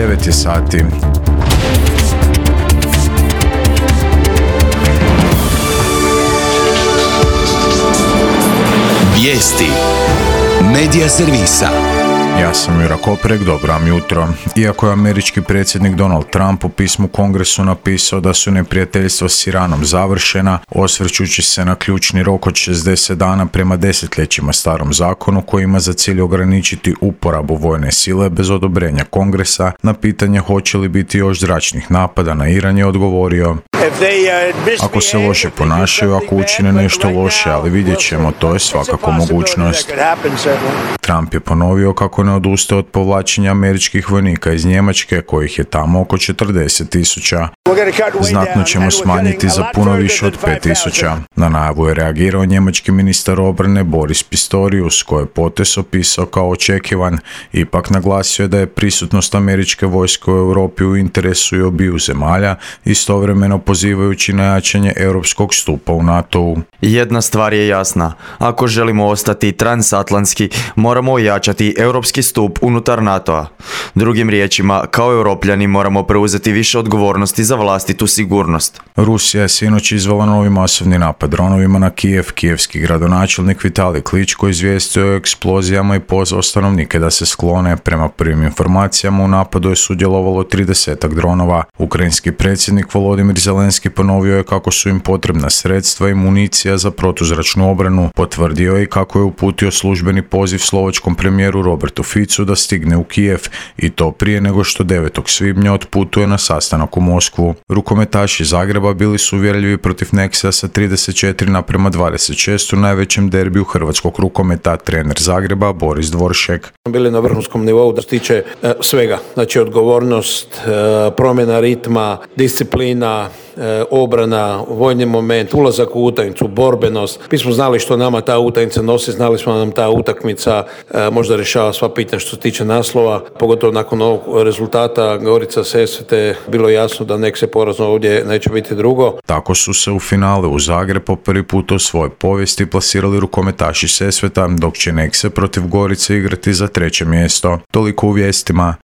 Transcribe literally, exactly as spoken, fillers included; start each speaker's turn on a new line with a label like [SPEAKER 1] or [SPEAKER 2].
[SPEAKER 1] devet je sati.
[SPEAKER 2] Vijesti Medija servisa.
[SPEAKER 1] Ja sam Jura Koprek, dobro vam jutro. Iako je američki predsjednik Donald Trump u pismu Kongresu napisao da su neprijateljstva s Iranom završena, osvrćući se na ključni rok od šezdeset dana prema desetljećima starom zakonu koji ima za cilj ograničiti uporabu vojne sile bez odobrenja Kongresa, na pitanje hoće li biti još zračnih napada na Iran je odgovorio: ako se loše ponašaju, ako učine nešto loše, ali vidjet ćemo, to je svakako mogućnost. Trump je ponovio kako ne odustaje od povlačenja američkih vojnika iz Njemačke, kojih je tamo oko četrdeset tisuća. Znatno ćemo smanjiti za puno više od pet tisuća. Na najavu je reagirao njemački ministar obrane Boris Pistorius, koji je potez opisao kao očekivan. Ipak naglasio je da je prisutnost američke vojske u Europi u interesu i obiju zemalja, istovremeno pozivajući na jačanje europskog stupa u NATO-u.
[SPEAKER 3] Jedna stvar je jasna. Ako želimo ostati transatlantski, moramo ojačati europski stup unutar NATO-a. Drugim riječima, kao europljani moramo preuzeti više odgovornosti za vlastitu sigurnost.
[SPEAKER 1] Rusija je sinoć izvela novi masovni napad dronovima na Kijev. Kijevski gradonačelnik Vitalij Kličko izvijestio o eksplozijama i pozvao stanovnike da se sklone. Prema prvim informacijama u napadu je sudjelovalo tridesetak dronova. Ukrajinski predsjednik Volodimir Zelenski ponovio je kako su im potrebna sredstva i municija za protuzračnu obranu. Potvrdio je i kako je uputio službeni poziv slovačkom premijeru Robertu Ficu da stigne u Kijev, i to prije nego što devetog svibnja otputuje na sastanak u Moskvu. Rukometaši Zagreba bili su uvjerljivi protiv Nexia sa trideset četiri naprema dvadeset šest u najvećem derbiju hrvatskog rukometa. Trener Zagreba Boris Dvoršek:
[SPEAKER 4] bili na vrhunskom nivou da se tiče e, svega, znači odgovornost, e, promjena ritma, disciplina, e, obrana, vojni moment, ulazak u utakmicu, borbenost. Mi smo znali što nama ta utakmica nosi, znali smo da nam ta utakmica e, možda rješava sva pitanja što se tiče naslova, pogotovo nakon ovog rezultata Gorica Sesvete bilo jasno da nek se porazno ovdje neće biti drugo.
[SPEAKER 1] Tako su se u finale u Zagreb po prvi put u svojoj povijesti plasirali rukometaši Sesveta, dok će Nekse protiv Gorice igrati za treće mjesto. Toliko u vijestima.